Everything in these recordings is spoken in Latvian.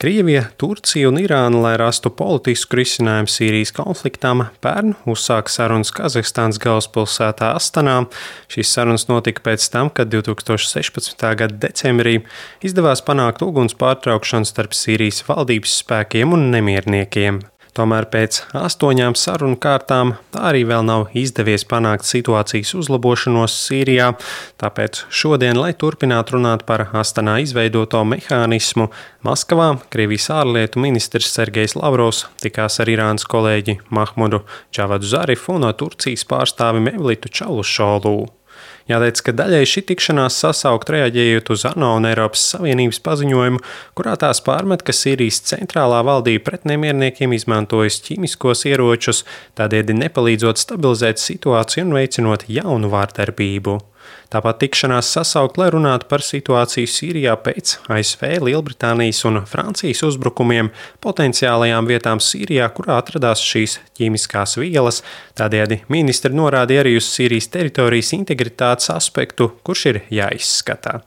Krievija, Turcija un Irāna, lai rastu politisku risinājumu Sīrijas konfliktam, pērn uzsāka sarunas Kazahstānas galvaspilsētā Astanā. Šīs sarunas notika pēc tam, kad 2016. gada decembrī izdevās panākt uguns pārtraukšanu starp Sīrijas valdības spēkiem un nemierniekiem. Tomēr pēc 8 sarunu kārtām tā arī vēl nav izdevies panākt situācijas uzlabošanos Sīrijā, tāpēc šodien, lai turpinātu runāt par Astanā izveidoto mehānismu, Maskavā Krievijas ārlietu ministrs Sergejs Lavrovs tikās ar Irānas kolēģi Mahmudu Džavadu Zarifu un Turcijas pārstāvi Mevlitu Čavušolu. Jāteic, ka daļai šī tikšanās sasaukt reaģējot uz ANO un Eiropas Savienības paziņojumu, kurā tās pārmet, ka Sīrijas centrālā valdība pret nemierniekiem izmantojas ķīmiskos ieročus, tādēļ nepalīdzot stabilizēt situāciju un veicinot jaunu vārdarbību. Tāpat tikšanās sasaukt, lai runātu par situāciju Sīrijā pēc ASV, Lielbritānijas un Francijas uzbrukumiem potenciālajām vietām Sīrijā, kurā atradās šīs ķīmiskās vielas. Tādējādi ministri norādīja arī uz Sīrijas teritorijas integritātes aspektu, kurš ir jāizskatā.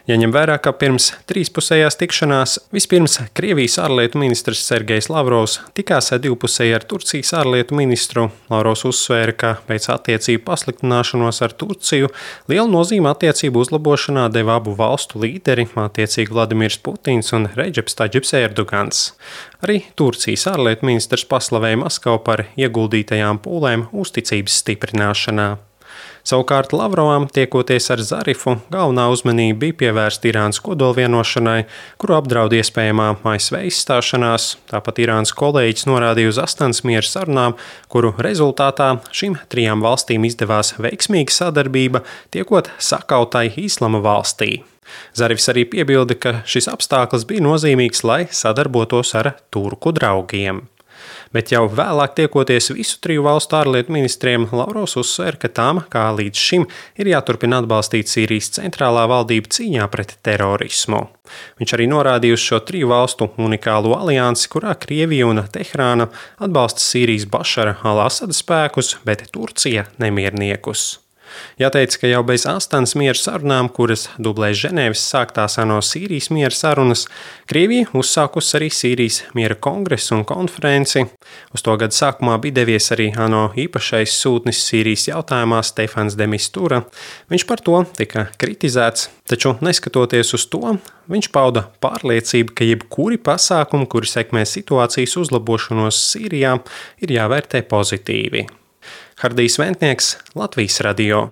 Jaņem vērā, ka pirms trīspusējās tikšanās vispirms Krievijas ārlietu ministrs Sergejs Lavrovs tikās divpusēji ar Turcijas ārlietu ministru. Lavrovs uzsvēra, ka pēc attiecību pasliktināšanos ar Turciju lielu nozīmi attiecību uzlabošanā deva abu valstu līderi, attiecīgi Vladimirs Putins un Redžeps Tadžips Erdogans. Arī Turcijas ārlietu ministrs paslavēja Maskavu par ieguldītajām pūlēm uzticības stiprināšanā. Savukārt Lavrovam, tiekoties ar Zarifu, galvenā uzmanība bija pievērsta Irānas kodolvienošanai, kuru apdraud iespējamā ASV izstāšanās. Tāpat Irānas kolēģis norādīja uz Astanas miera sarunām, kuru rezultātā šīm 3 valstīm izdevās veiksmīga sadarbība, tiekot sakautai Islama valstī. Zarifs arī piebilda, ka šis apstākļus bija nozīmīgs, lai sadarbotos ar turku draugiem. Bet jau vēlāk tiekoties visu 3 valstu ārlietu ministriem, Lavrovs uzsver, ka tām, kā līdz šim, ir jāturpina atbalstīt Sīrijas centrālā valdība cīņā pret terorismu. Viņš arī norādīja uz šo 3 valstu unikālo aliansi, kurā Krievija un Teherāna atbalsta Sīrijas Bašara al-Asada spēkus, bet Turcija nemierniekus. Jāteic, ka jau bez Astanas miera sarunām, kuras dublē Ženēvas sāktās ANO Sīrijas miera sarunas, Krievija uzsākusi arī Sīrijas miera kongresu un konferenci. Uz to gada sākumā bija devies arī ANO īpašais sūtnis Sīrijas jautājumā Stefans de Mistura. Viņš par to tika kritizēts, taču neskatoties uz to, viņš pauda pārliecību, ka jebkuri pasākumi, kuri sekmē situācijas uzlabošanos Sīrijā, ir jāvērtē pozitīvi. Hardijs Ventnieks, Latvijas radio.